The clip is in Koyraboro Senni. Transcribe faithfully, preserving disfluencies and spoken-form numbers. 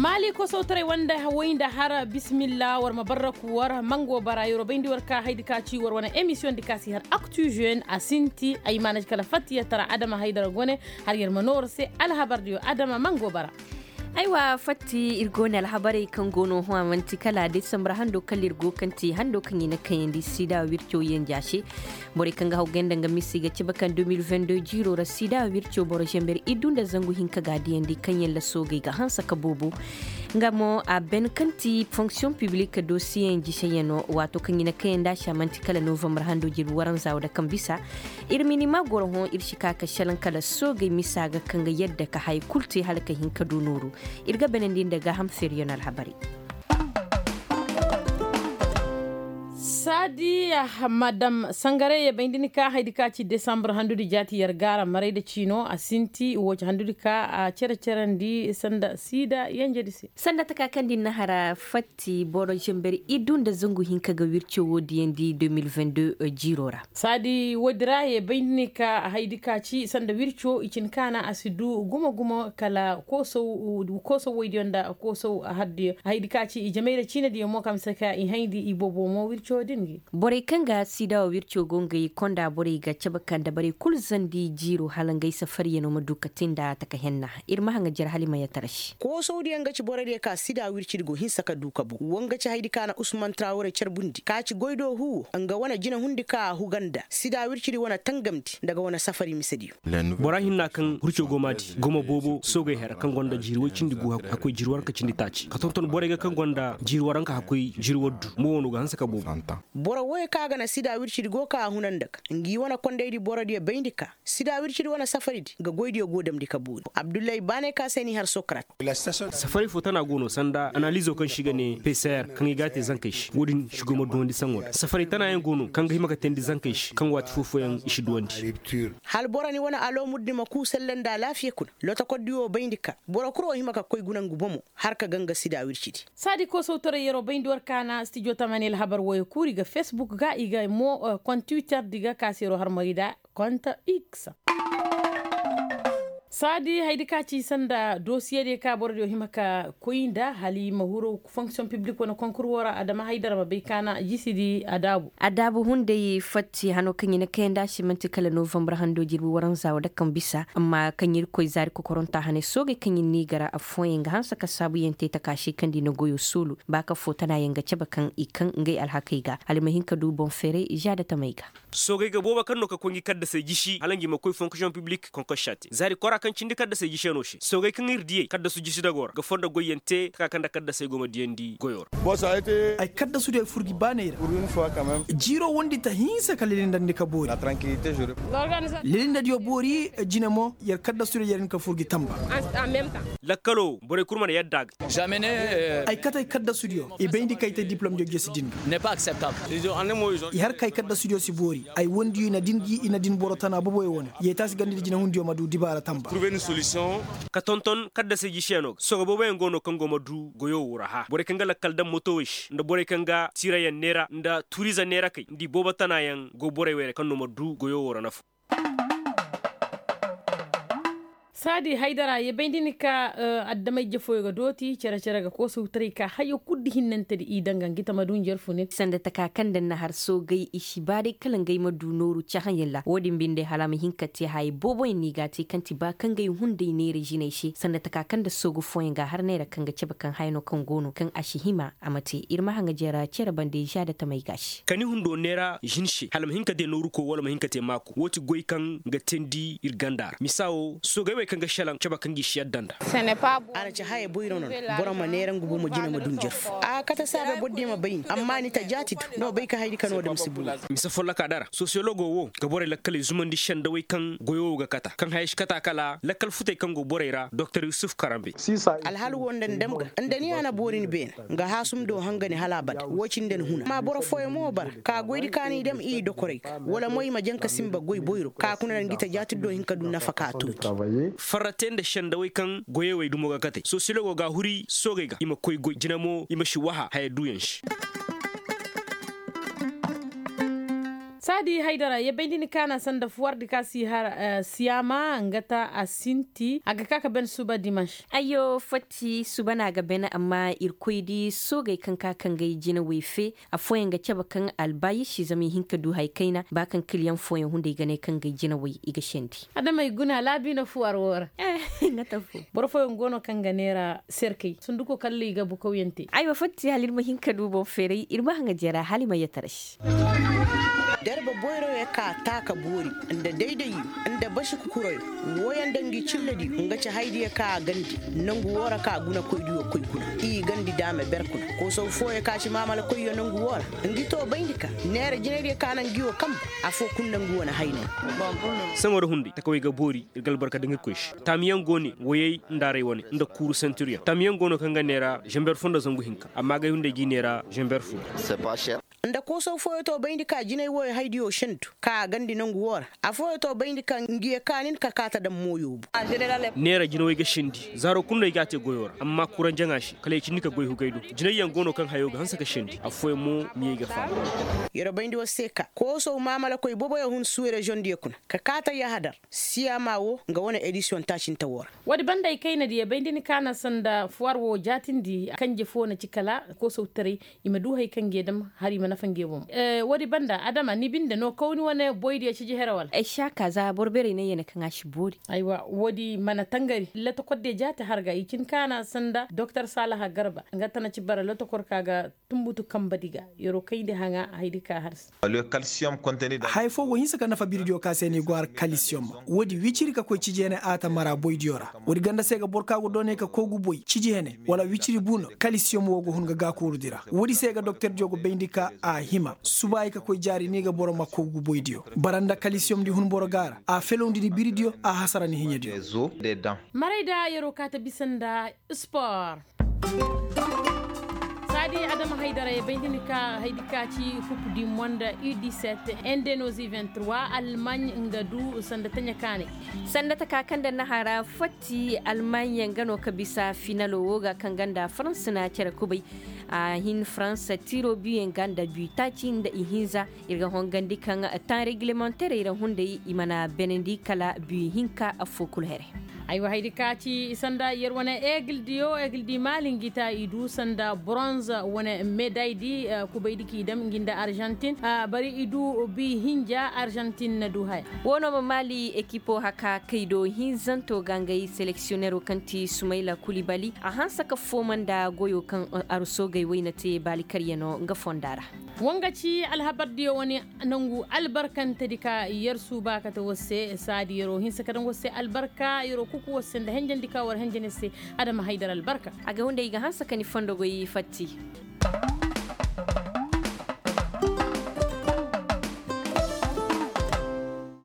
Maali kosow taray wanda way nda har bisimilla war ma barraku war mango bara yeroo bayndi war ka haydi ka ci war wane emisiyoŋ di ka si har aktu žen a sinti ay maana kala fatti ya tara adama haydara gone. Har yer ma nooro se alhabardiyo adama mango bara. Aywa fatti ir go ne alhabarey kaŋ go no hõ a man'ti kala desambar hando kala ir go kaŋ ti hando kaŋ i na kayandi sida wirco yanja se. Borey kaŋ ga haw ganda nga misa i ga cabe kaŋ deux mille vingt-deux jiiro ra sida wirco boro zamber iddu nda zangu hinka ga a diyandi kaŋ yaŋ la soogey ga hanse ka boobo. Nga mo a ben kaŋ ti fonksiyoŋ piblik dosiyeyaŋ jiseyano waato kaŋ i na kayandi a se a man'ti kala novambar hando jirbi waranza wo da kaŋ bisa. Ir minima goro hõ ir si ka ka šelaŋ kala soogey misa ga kaŋ ga yadda ka haya kul te hala ka hin ka du nooru. Ir ga benandi nda gaaham feeriyaŋ alhabarey. Saadi madam sangare ye bay nda ni ka haydi ka ci desambar handudi jaati yer gaara maray nda ciino a sinti wo ci handudi ka a cere-cerandi sanda siida yenjedi se. Sanda taka kaŋ din na hara fatti boro zamber iddu nda zangu hinka ga wirco wo diyandi deux mille vingt-deux jiiro ra. Saadi woodi ra ye bay nda ni ka haydi ka ci sanda wirco i cin kaana a si du gumo-gumo kala koosow woydiyo nda koosow hardiyo haydi ka ci i jamay ra ciinediyo mo kaŋ bisa ka i hayndi i boobo mo wirco din gi. Borey kaŋ ga siida wo wirco go ngey konda borey ga cabe ka nda borey kul zandi jiiro hala ngey safariyano ma du ka te nda taka henna. Ir ma haŋa jere hala i ma yatara se. Koosawdiyaŋ ga ci borey diyo ka sida wircidi go hinsa ka du ka bu wa nga ci haydi ka na usman trawre carbundi ka ci goy do huwo nga wane jinahundi ka a huga nda sida wircidi wane tangamndi nda ga wane safari misediyo. Bora hinna kaŋ hurco go maadi goma boobo soogey hera kaŋ gonda jiiri woy cindi gu hakkoy jiiri waranka cindi taaci ka tonton borey ga kaŋ gonda jiiri waranka hakkoy jiiri waddu mo wano ga hanse ka boobo. Boro woy kaŋ a ga na sida wircidi go ka a huna nda ga ngi wane kondaydi borodiyo bayndi ka sida wircidi wane safaridi nga goydiyo go damndi ka boori abdullahi baanay ka se n'i har sokrat. Safaray fo tana go no sanda analizo kaŋ se i ga ne peser kaŋ i ga a te zankey se wo-din se go ma duwandi saŋo ra safaray tanayaŋ go no kaŋ ga hima ga teendi zankey se kaŋ waati foofoyaŋ i si duwandi. Hala boro ni wane alo murdi ma kuu selle nda alaafiya kuna lotokordi wo bayndi ka boro kul wo hima ka koy guna ngu bomo har ka ganga sida wircidi. Saadi koosawtaray yeroo bayndi war kaana stijo tamani alhabar woyo kuuri ga fesbuk ga i ga mo kont twitter di ga ka se yeroo har mari nda kont x. Saadi haydi ka ci sanda dosiyediyo ka borodiyo hima ka koy nda hala i ma huru fonksiyoŋ piblik wane konkur wo ra adama haydara ma bay kaana jisidi adaabu. Adaabu hunday fatti hano kaŋ i na kayandi a se man'ti kala novambar hando jirbi waranza wo da kaŋ bisa amma kaŋ irkoy zaari kokoronta hane soogey kaŋ ir n'i gar affooyaŋ ga hanse ka saabuyaŋ te taka se kaŋ nda i na goyo soolu ba ka fo tanayaŋ ga cabe kaŋ i kaŋ ngey alhakey ga hala i ma hin ka du boŋ feeray žaadatamey ga. Soogey ga boobo kaŋ no ka koy ngi kaddasey jisi hala ngi ma koy fonksiyoŋ piblik konkossa te zaari kora kaŋ cindi kaddasey jisiyano se soogey kaŋ ir diyey kaddasu jisi dago ra ga fondo goyyaŋ te taka kaŋ nda kaddasey go ma diyandi goyo ra. Ay kaddasudiyo ay fur gi baaney ra. Jiiro wondi ta hinsa ka lilindandi ka boori. Lilindadiyo boori jine mo yer kaddasudiyo yer hin ka fur gi tamba. Lakkalo borey kul mana yadda a ga. Ay kate ay kaddasudiyo i bayndi kaŋ ay te diplomdiyo jesi din ga. I har ka ay kaddasudiyo si boori ay wondiyo i na din gi i na din boro tana boboyo wane yeetaasi gandidi jinahundiyo ma du dibaara tamba. Ka tonton kaddasey jisiyano ga sogo booboyaŋ go no kaŋ go ma du goyo wo ra hã borey kaŋ ga lakkal daŋ motowey se nda borey kaŋ ga tiirayaŋ neera nda tuuriize neerakey nda i boobo tanayaŋ go borey wey ra kaŋ no ma du goyo wo ra nafa. Saadi haydara ye bay nda ni ka adamay jefooyo ga dooti cere-cere ga koosawtaray ka hayo kul nda hinnantedi i daŋ ga ngi tama dunjer fune. Sanda taka kaŋ nda ni na har soogey i si ba day kala ngey ma du nooru cahãyaŋ ra wo-din binde hala a ma hin ka te haya booboyaŋ no i ga a te kaŋ ti ba kaŋ ngey hunday neera jinay se sanda taka kaŋ nda soogu fooyaŋ ga a har neera kaŋ ga cabe kaŋ haya no kaŋ go no kaŋ a si hima a ma te ir ma haŋa jara cere bande žaadatamey ga a se. Ka ni hundo neera žin se hala ma hin ka te nooruko wala ma hin ka te maako wo ti goy kaŋ ga teendi ir ganda ra misa wo soogey wey kaŋ ga šelaŋ cabe kaŋ gi si yadda nda. A na ci haya boyro no no boro ma neera ngu bomo jina ma du njarfu a kate saabe borodiyo ma bay ni amma ni ta jaati du ni ma bay ka haydi ka no dam si boori. Mise folloka dara sosiyologo wo ga borey lakkaley zumandi sendawey kaŋ goyo wo ga kata kaŋ haya si kata kala lakkal futey kaŋ go borey ra doktor yusuf karambe. Alhal wo nda ni dam ga nda ni a na boori ni beene nga haasum do hangani hala abada wo cindi ni huna amma boro fooyaŋ mo bara ka goydi ka ni dam i dokorey ga wala mo i ma jaŋ ka sinba goy boyro ka kuna nda ngi ta jaati do hin ka du nafa ka a tooti. Farra te nda sendawey kaŋ goyey wey dumo ga katey sosiyologo ga a huri soogey ga i ma koy goy jina mo i ma si waha haya duuyaŋ se. Di haydara ya bay da ni kaana sanda fuwardi ka si har siyaama nga ta a sinti a ga ka ka ben suba dimanš. Ayyo fatti suba no a ga ben amma irkoy di soogey kaŋ ka kangey jinawey fe. Affooyaŋ ga cabe kaŋ albaayisi zama i hin ka du hari kayna ba kaŋ kiliyaŋ fooyaŋ hunday ga ne kangey jinawey i ga sendi. Adamey guna laabi na fuwar wo ra. Nga ta fo. Boro fooyaŋ go no kaŋ ga neera serkey sunduko kalla i ga bukawyaŋ te. Aywa fatti hala ir ma hin ka du boŋ feeray ir ma haŋa jeera hala i ma yataray. Derba boyroyo ka taa ka boori nda daydayo nda basi kukurayo. Wooyaŋ nda ngi cillediyo nga ci haydiyo ka a gandi nangu woo ra ka gunakoydiyo koy kuna i gandi daame ber kuna. Koosaw fooyo ka ci maamalakoyyo nangu woo ra ngi too bayndi ka neera jinaydiyo ka naŋ ngi woo kambe. Afoo kulu naŋ ngi wane haynay. Saŋo ra hunday takawey ga boori ir ga albarka daŋ irkoy se. Taamiyaŋ go ne woyey nda aray wane nda kuuru sentiryaŋ taamiyaŋ go no kaŋ ga neera zember fo nda zangu hinka amma agay hunday g'i neera zember fo. Nda koosaw fooyo to bayndi ka jinay wooyo haydiyo sendu ka a gandi nangu woo ra. Afooyo to bayndi ka ngi ye ka nin ka kaata daŋ mooyo bu. Neera jinawey ga sendi zaaro kulu no ay g'a te goyo ra amma kuraŋ jaŋa se kala ay cindi ka goy hugay do. Jinayyaŋ go no kaŋ hayo ga hanse ka sendi affooyaŋ mo miyey ga faaba. Yer bayndi war se ka koosaw maamalakoy boboyo hun suureziyoŋ diyo kuna ka kaata yahadar. Siyaama wo nga wane edisiyoŋ taacinte wo ra. Woodi banda ay kayna diyo bay nda ni kaana sanda fuwar wo jaatindi kanje fo na ci kala koosawtaray. I ma du hari kaŋ nge dam hala i ma nafa nge boŋ. Woodi banda adama ni binde no kawni wane boy diyo ciji here wala? Ay si a ka za boro beerey ne yene kaŋ a si boori. Aywa woodi mana tangari lotokor diyo jaati har ga i cin kaana sanda doktor saalaha garba nga tana ci bara lotokor ka ga tumbutu kambadi ga. Yeroo kayndi haŋa haydi ka har se. Haya foo go hinsa ka nafa biridiyo ka se ni go har kalisiyom. Woodi wiciri ka koy cijeeney a ta mara boydiyo ra. Woodi ganda se ga boro ka go doonay ka koogu boy ciji hene wala wiciri bu no. Kalisiyom woo go hun ga gaakoorudi ra. Woodi se ga doktordiyo go bayndi ka a hima subaay ka koy jaari ni ga boro ma koogu boydiyo. Bara nda kalisiyomdi hun boro ga a ra a felowndi ni biridiyo a hasara ni hiɲadiyo. Maray da yeroo ka ta bisa nda spor. Saadi adama haydara ye bay nda ni ka haydi ka ci kup di monda u dix-sept, indonesie vingt-trois, almaaɲ nga du sanda taɲa kaanay. Sanda taka kaŋ nda nahara fotti almaaɲ nga no ka bisa finalo wo ga kaŋ ganda farans na cere kubay. A hin farans tiro biyu yaŋ ga nda biyu taaci nda ihinza. Ir ga hongandi kaŋ tan regilemanterey ra hunday i mana benandi kala biyu hinka affoo kulu here. Aywa haydi ka ci sanda yer wane egil diyo egil di maali ngi ta i du sanda bronze wane meday di. Kubay di k'i dam ngi nda arjantin bari i du bi hinja arjantin na du haya. Woo no ma maali ekipo haka kay do hinzanto ga ngay seleksiyonero kaŋ ti sumayla kulibali a hanse ka fooma nda goyo kaŋ arsoogey wayna te baali karyaŋo nga fonda ra. Wa nga ci alhabardiyo wane nangu albarkantedi ka yer suuba kate war se saadi yeroo hinse ka daŋ war se albarka yeroo kuku war se nda henjandi ka war henjandi se. Adama haydar albarka. A ga hunday i ga hanse ka ni fondogoy fatti.